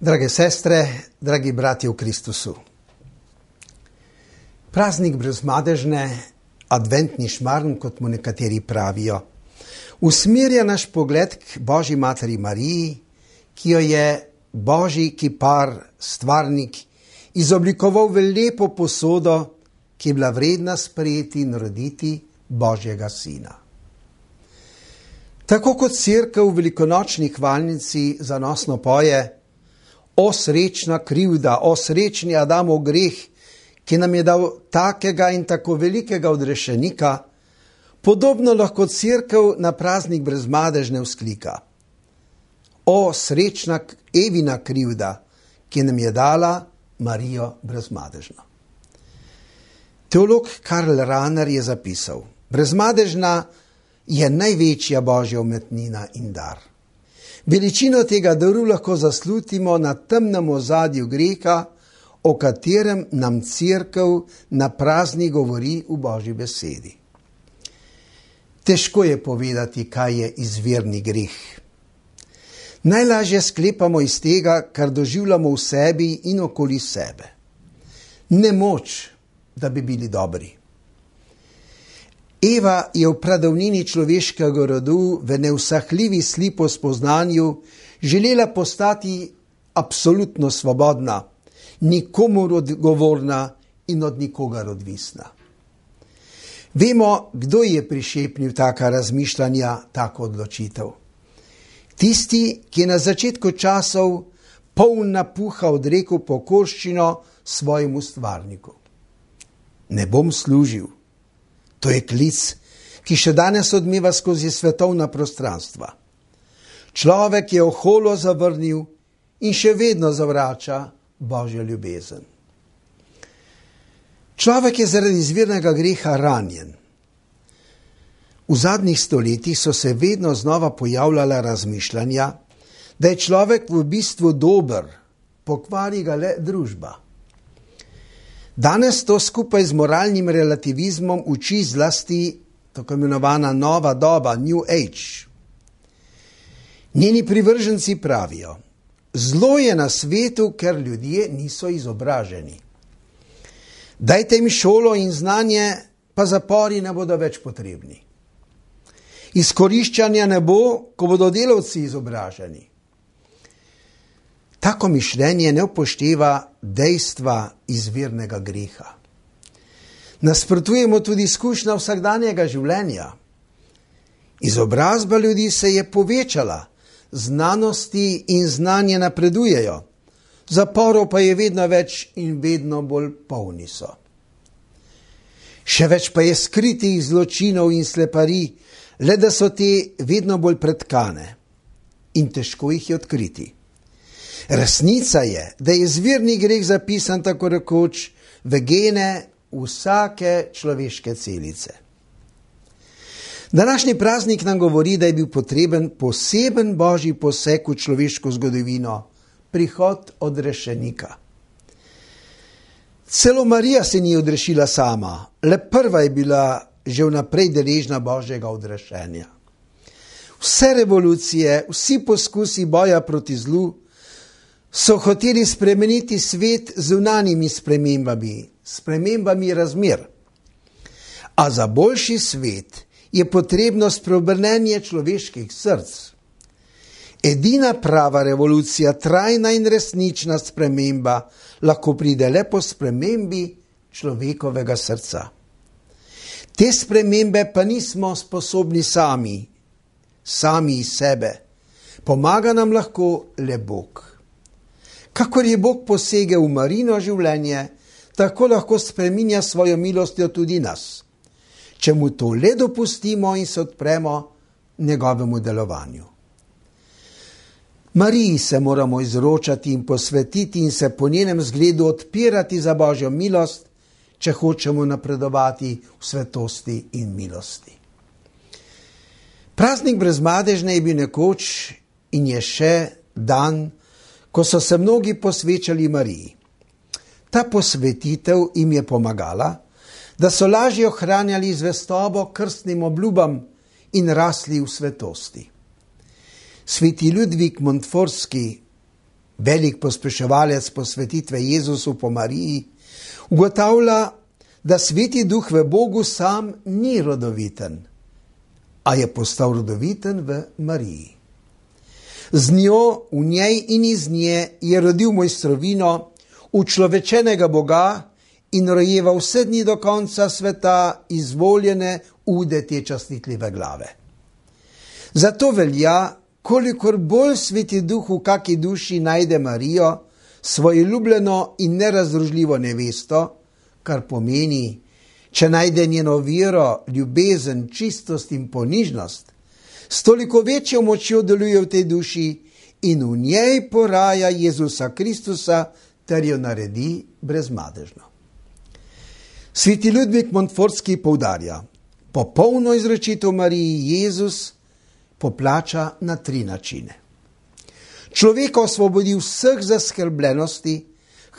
Drage sestre, dragi bratje v Kristusu. Praznik brezmadežne, adventni šmarn, kot mu nekateri pravijo, usmerja naš pogled k Božji materi Mariji, ki jo je Božji kipar, stvarnik, izoblikoval v lepo posodo, ki je bila vredna sprejeti in roditi Božjega sina. Tako kot cerkev v velikonočni hvalnici zanosno poje: O srečna krivda, o srečni Adamov greh, ki nam je dal takega in tako velikega odrešenika, podobno lahko cerkev na praznik brezmadežne vzklika: O srečna Evina krivda, ki nam je dala Marijo brezmadežno. Teolog Karl Rahner je zapisal: brezmadežna je največja Božja umetnina in dar. Veličino tega daru lahko zaslutimo na temnem ozadju greha, o katerem nam cerkev na praznik govori v Božji besedi. Težko je povedati, kaj je izvirni greh. Najlažje sklepamo iz tega, kar doživljamo v sebi in okoli sebe. Nemoč, da bi bili dobri. Eva je v pradavnini človeškega rodu v neusahljivi slipospoznanju želela postati absolutno svobodna, nikomur odgovorna in od nikogar odvisna. Vemo, kdo je prišepnil taka razmišljanja, tako odločitev. Tisti, ki je na začetku časov poln napuha odrekel pokorščino svojemu stvarniku. Ne bom služil. To je klic, ki še danes odmeva skozi svetovna prostranstva. Človek je oholo zavrnil in še vedno zavrača Božjo ljubezen. Človek je zaradi izvirnega greha ranjen. V zadnjih stoletjih so se vedno znova pojavljala razmišljanja, da je človek v bistvu dober, pokvari ga le družba. Danes to skupaj z moralnim relativizmom uči zlasti tako imenovana nova doba, New Age. Njeni privrženci pravijo: zlo je na svetu, ker ljudje niso izobraženi. Dajte jim šolo in znanje, pa zapori ne bodo več potrebni. Izkoriščanja ne bo, ko bodo delavci izobraženi. Tako mišljenje ne upošteva dejstva izvirnega greha. Nasprotujemo tudi izkušnja vsakdanjega življenja. Izobrazba ljudi se je povečala, znanosti in znanje napredujejo, zaporov pa je vedno več in vedno bolj polni so. Še več pa je skritih zločinov in sleparij, le da so te vedno bolj pretkane in težko jih je odkriti. Resnica je, da je izvirni greh zapisan tako rekoč v gene vsake človeške celice. Današnji praznik nam govori, da je bil potreben poseben Božji poseg v človeško zgodovino, prihod odrešenika. Celo Marija se ni odrešila sama, le prva je bila že vnaprej deležna Božjega odrešenja. Vse revolucije, vsi poskusi boja proti zlu so hoteli spremeniti svet z zunanjimi spremembami razmer. A za boljši svet je potrebno spreobrnenje človeških src. Edina prava revolucija, trajna in resnična sprememba, lahko pride le po spremembi človekovega srca. Te spremembe pa nismo sposobni sami iz sebe. Pomaga nam lahko le Bog. Kakor je Bog posegel v Marijino življenje, tako lahko spreminja svojo milostjo tudi nas, če mu to le dopustimo in se odpremo njegovemu delovanju. Mariji se moramo izročati in posvetiti in se po njenem zgledu odpirati za Božjo milost, če hočemo napredovati v svetosti in milosti. Praznik brezmadežne je bil nekoč in je še dan, ko so se mnogi posvečali Mariji. Ta posvetitev jim je pomagala, da so lažje ohranjali zvestobo krstnim obljubam in rasli v svetosti. Sveti Ludvik Montfortski velik pospeševalec posvetitve Jezusu po Mariji, ugotavlja, da Sveti Duh v Bogu sam ni rodoviten, a je postal rodoviten v Mariji. Z njo, v njej in iz nje je rodil mojstrovino, učlovečenega Boga in rojeva vse dni do konca sveta izvoljene ude te častitljive glave. Zato velja, kolikor bolj Sveti Duh v kaki duši najde Marijo, svojo ljubljeno in nerazdružljivo nevesto, kar pomeni, če najde njeno vero, ljubezen, čistost in ponižnost, s toliko večjo močjo deluje v tej duši in v njej poraja Jezusa Kristusa ter jo naredi brezmadežno. Sveti Ludvik Montfortski poudarja, popolno izročitev Mariji Jezus poplača na 3 načine. Človeka osvobodi vseh zaskrbljenosti,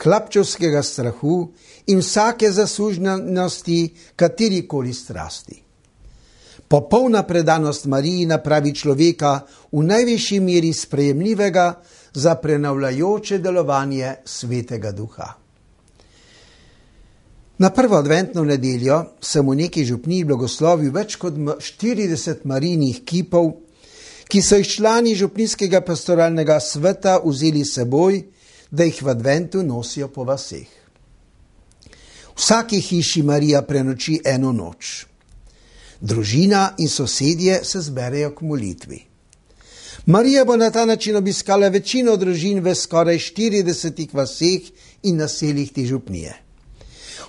hlapčevskega strahu in vsake zasužnjenosti katerikoli strasti. Popolna predanost Mariji napravi človeka v najvišji meri sprejemljivega za prenavljajoče delovanje Svetega Duha. Na prvo adventno nedeljo sem v neki župniji blagoslovil več kot 40 Marijinih kipov, ki so jih člani župnijskega pastoralnega sveta vzeli s seboj, da jih v adventu nosijo po vaseh. V vsaki hiši Marija prenoči eno noč. Družina in sosedje se zberejo k molitvi. Marija bo na ta način obiskala večino družin v skoraj 40 vaseh in naseljih te župnije.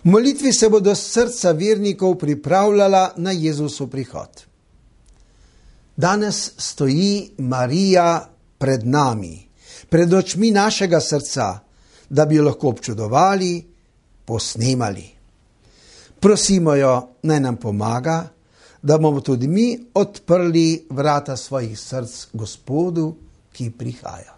V molitvi se bodo srca vernikov pripravljala na Jezusov prihod. Danes stoji Marija pred nami, pred očmi našega srca, da bi jo lahko občudovali, posnemali. Prosimo jo, naj nam pomaga, da bomo tudi mi odprli vrata svojih src Gospodu, ki prihaja.